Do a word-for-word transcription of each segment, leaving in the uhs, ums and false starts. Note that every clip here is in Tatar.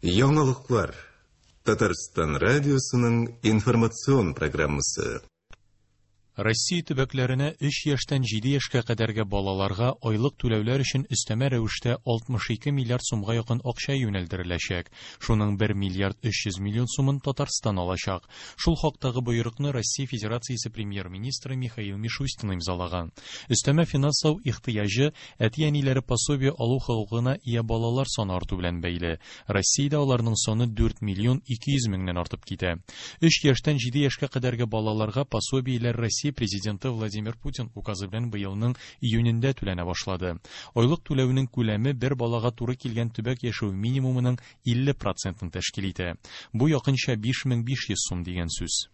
Яңалыклар. Татарстан радиосының информацион программасы. Россия төбәкләренә өч яшьтән җиде яшькә кадәрге балаларга айлык түләүләр өчен өстәмә рәвештә алтмыш ике миллиард сумга якын акча юнәлдереләчәк. Шуның бер миллиард өч йөз миллион сумын Татарстан алачак. Шул хактагы боерыкны Россия Федерациясе премьер-министры Михаил Мишустин имзалаган. Өстәмә финанслау ихтыяҗы әти-әниләре пособие алу хокукына ия балалар саны арту белән бәйле. Россиядә аларның саны дүрт миллион ике йөз меңнән артып китә. Өч яшьтән җиде яшькә кадәрге балаларга пособиеләр Россия Президенты Владимир Путин указы белән быелның июнендә түләнә башлады. Айлык түләүнең күләме бер балага туры килгән төбәк яшәү минимумының илле процентын тәшкил итә. Бу якынча биш мең биш йөз сум дигән сүз.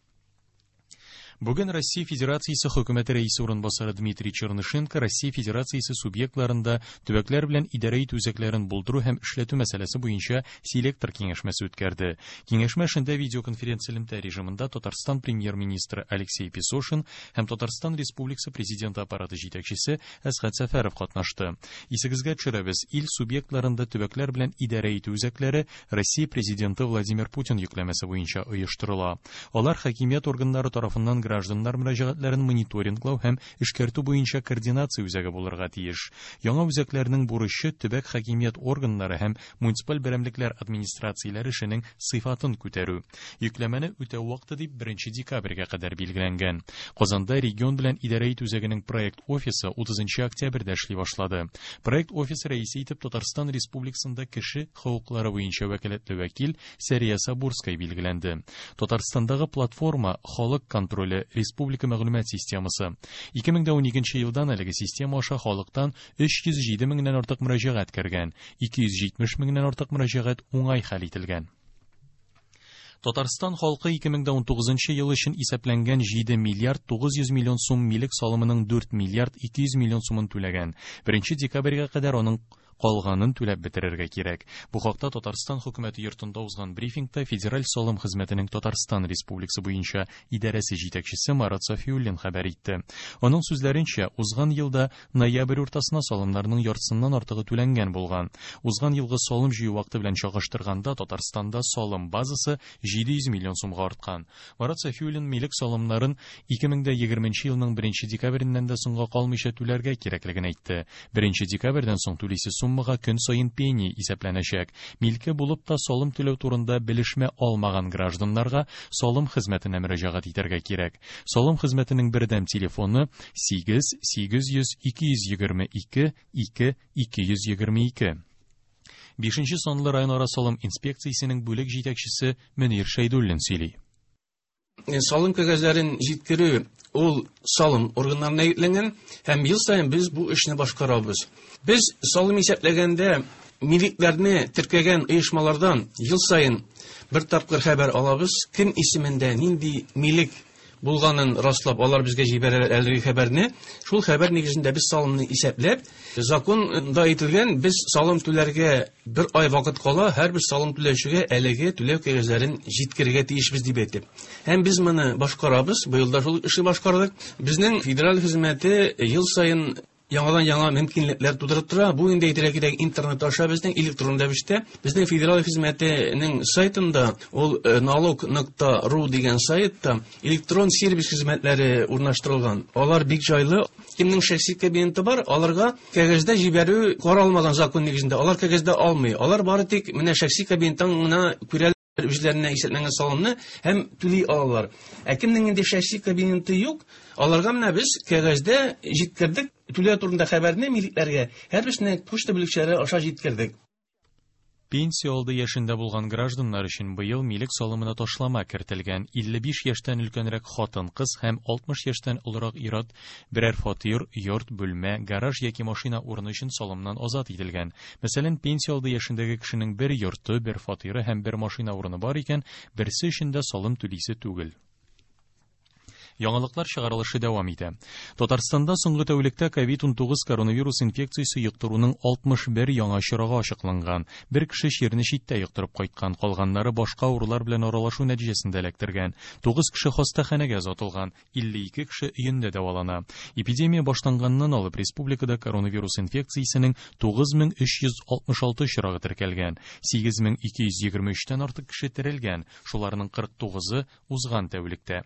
Бүген Россия Федерациясе хөкүмәте рәисе урынбасары Дмитрий Чернышенко Россия Федерациясе субъектларында төбәкләр белән идарә итү үзәкләрен булдыру һәм эшләтү мәсьәләсе буенча селектор киңәшмәсе үткәрде. Киңәшмә эшендә видеоконференц-элемтә режимында Татарстан премьер-министры Алексей Песошин һәм Татарстан Республикасы президенты аппараты җитәкчесе Әсгать Сәфәров катнашты. Исегезгә төшерәбез, ил субъектларында төбәкләр белән идарә итү үзәкләре Россия президенты Владимир Путин йөкләмәсе буенча оештырыла. Алар хакимият органнары тарафыннан гражданнар мөрәҗәгатьләрен мониторинглау һәм эшкәртү буенча координация үзәге булырга тиеш. Яңа үзәкләрнең бурычы төбәк хакимият органнары һәм муниципаль берәмлекләр администрацияләре эшенең сыйфатын күтәрү. Йөкләмәне үтәү вакыты дип беренче декабрьгә кадәр билгеләнгән. Казанда регион белән идарә итү үзәгенең проект офисы утызынчы октябрьдә эшли башлады. Проект офисы рәисе итеп Татарстан Республикасында кеше хокуклары буенча вәкаләтле вәкил Сәрия Сабурская билгеләнде. Татарстандагы платформа Халык контроле Республика мәгълүмат системасы. Ике мең дә уникенче елдан әлеге система аша халыктан өч йөз җиде меңнән артык мөрәҗәгать кергән, ике йөз җитмеш меңнән артык мөрәҗәгать уңай хәл ителгән. Татарстан халкы ике мең дә унтугызынчы ел өчен исәпләнгән җиде миллиард тугыз йөз миллион сум милек салымының дүрт миллиард ике йөз миллион сумын түләгән. Беренче декабрьгә кадәр аның калганын түләп бетерергә кирәк. Бу хакта Татарстан хөкүмәте йортында узган брифингта Федераль салым хезмәтенең Татарстан Республикасы буенча идарәсе җитәкчесе Марат Сафиуллин хәбәр итте. Аның сүзләренчә, узган елда ноябрь уртасына салымнарның яртысыннан артыгы түләнгән булган. Узган елгы салым җыю вакыты белән чагыштырганда Татарстанда салым базасы җиде йөз миллион сумга арткан. Марат Сафиуллин милек салымнарын ике мең дә егерменче елның беренче декабреннән дә соңга калмыйча түләргә кирәклеген әйтте. Беренче декабрьдән соң түлисе суммага көн саен пени исәпләнәчәк. Милке булып та салым түләү турында белешмә алмаган гражданнарга салым хезмәтенә мөрәҗәгать итәргә кирәк. Салым хезмәтенең бердәм телефоны сигез сигез йөз ике йөз егерме ике ике ике йөз егерме ике. Бишенче санлы районара салым инспекциясенең бүлек җитәкчесе Мөнир Шәйдуллин сөйли. Салым кәгазьләрен җиткерү ул салым органнарына йөкләнгән һәм ел саен без бу эшне башкарабыз. Без салым исәпләгәндә милекләрне теркәгән оешмалардан ел саен бер тапкыр хәбәр алабыз. Кем исемендә нинди милек булганын раслап, алар безгә җибәрәләр әлеге хәбәрне. Шул хәбәр нигезендә без салымны исәпләп, законда әйтелгән, без салым түләргә бер ай вакыт кала, һәрбер салым түләүчегә әлеге түләү кәгазьләрен җиткерергә тиешбез дип әйтеп. Һәм без моны башкарабыз, быел да шул эшне башкардык. Безнең федераль хезмәте ел саен яңадан яңа мөмкинлекләр тудырып тора. Бу инде әйтергә кирәк, интернет аша безнең электрон рәвештә безнең федераль хезмәтенең сайтында, ул, э, налог нокта ру дигән сайтта электрон сервис хезмәтләре урнаштырылган. Алар бик җайлы. Кемнең шәхси кабинеты бар, аларга кәгазьдә җибәрү каралмаган закон нигезендә. Алар кәгазьдә алмый. Алар бары тик менә шәхси кабинеттан гына күрәләр үзләренә исәпләнгән салымны һәм түли алалар. Ә кемнең инде шәхси кабинеты юк, аларга менә без кәгазьдә җиткердек. Түләү турында хәбәрне милекләргә һәрберсенә почта бүлекчәләре аша җиткердек. Пенсия алды яшендә булган гражданнар өчен быел милек салымына ташлама кертелгән. Илле биш яшьтән өлкәнрәк хатын-кыз һәм алтмыш яшьтән олырак ир-ат берәр фатир, йорт, бүлмә, гараж яки машина урыны өчен салымнан азат ителгән. Мәсәлән, пенсия алды яшендәге кешенең бер йорты, бер фатиры һәм бер машина урыны бар икән, берсе өчен дә салым түлисе түгел. Яңалыклар чыгарылышы дәвам итә. Татарстанда соңгы тәүлектә ковид унтугыз коронавирус инфекциясе йоктыруның алтмыш бер яңа очрагы ачыкланган. Бер кеше чирне читтә йоктырып кайткан, калганнары башка авырулар белән аралашу нәтиҗәсендә эләктергән. Тугыз кеше хастаханәгә озатылган, илле ике кеше өендә дәвалана. Эпидемия башланганнан алып республикада коронавирус инфекциясенең тугыз мең өч йөз алтмыш алты очрагы теркәлгән. Сигез мең ике йөз егерме өчтән артык кеше терелгән, шуларның кырык тугызы узган тәүлектә.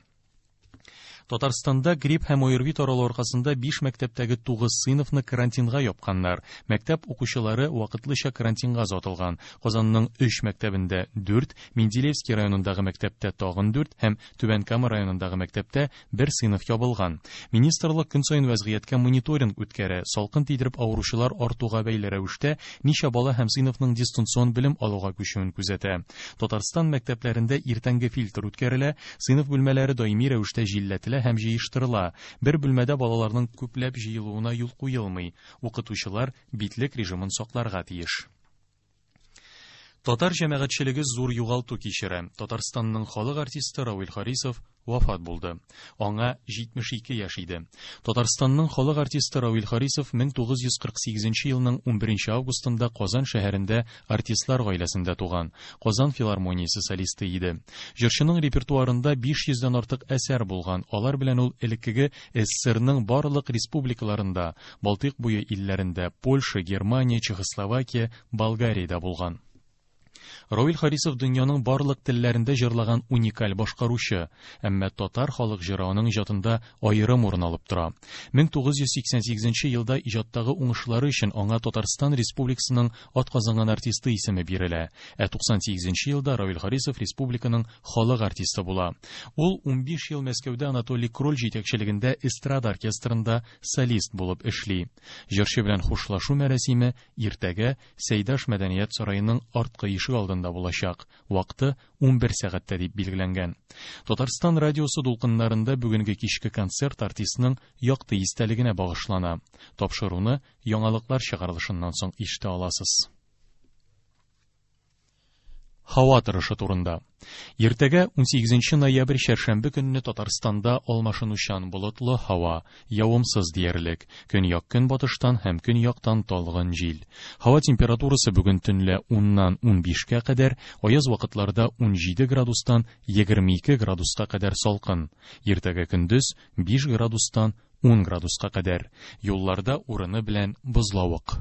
Татарстанда грипп һәм ОРВИ таралу аркасында биш мәктәптәге тугыз сыйныфны карантинга япканнар. Мәктәп укучылары вакытлыча карантинга озатылган. Казанның өч мәктәбендә дүрт, Менделеевский районындагы мәктәптә тагын дүрт һәм Түбән Кама районындагы мәктәптә бер сыйныф ябылган. Министрлык көн саен вәзгыятькә мониторинг үткәрә. Салкын тидереп авыручылар артуга бәйле рәвештә ничә бала һәм сыйныфның дистанцион белем алуга күчүен күзәтә. Татарстан мәктәпләрендә иртәнге фильтр үткәрелә, сыйныф бүлмәләре даими рәвештә җилләтелә һәм җыештырыла. Бер бүлмәдә балаларның күпләп җыелуына юл куелмый. Укытучылар битлек режимын сакларга тиеш. Татар җәмәгатьчелеге зур югалту кичерә. Татарстанның халык артисты Равил Харисов вафат булды. Аңа җитмеш ике яшь иде. Татарстанның халык артисты Равил Харисов мең тугыз йөз кырык сигезенче елның унберенче августында Казан шәһәрендә артистлар гаиләсендә туган. Казан филармониясе солисты иде. Җырчының репертуарында биш йөздән артык әсәр булган. Алар белән ул элеккеге СССРның барлык республикаларында, Балтыйк буе илләрендә, Польша, Германия, Чехословакия, Болгариядә булган. Равил Харисов дөньяның барлык телләрендә җырлаган уникаль башкаручы, әмма татар халык җыры аның иҗатында аерым урын алып тора. Мең тугыз йөз сиксән сигезенче елда иҗаттагы уңышлары өчен аңа Татарстан Республикасының атказанган артисты исеме бирелә. Ә туксан сигезенче елда Равил Харисов республиканың халык артисты була. Ул унбиш ел Мәскәүдә Анатолий Кроль җитәкчелегендә эстрада оркестрында солист булып эшли. Җырчы белән хушлашу мәрасиме иртәгә Сәйдаш мәдәният сараеның арткы ишек алдында булачак. Вакыты унбер сәгатьтә дип билгеләнгән. Татарстан радиосы дулкыннарында бүгенге кичке концерт артистның якты истәлегенә багышлана. Тапшыруны яңалыклар чыгарылышыннан соң ишетә аласыз. Һава торышы турында. Иртәгә унсигезенче ноябрь чәршәмбе көнне Татарстанда алмашынучан болытлы һава, явымсыз диярлек. Көньяк көнбатыштан һәм көньяктан талгын җил. Һава температурасы бүген төнлә уннан унбишкә кадәр, аяз вакытларда унҗиде градустан егерме ике градуска кадәр салкын. Иртәгә көндез биш градустан ун градуска кадәр. Юлларда урыны белән бозлавык.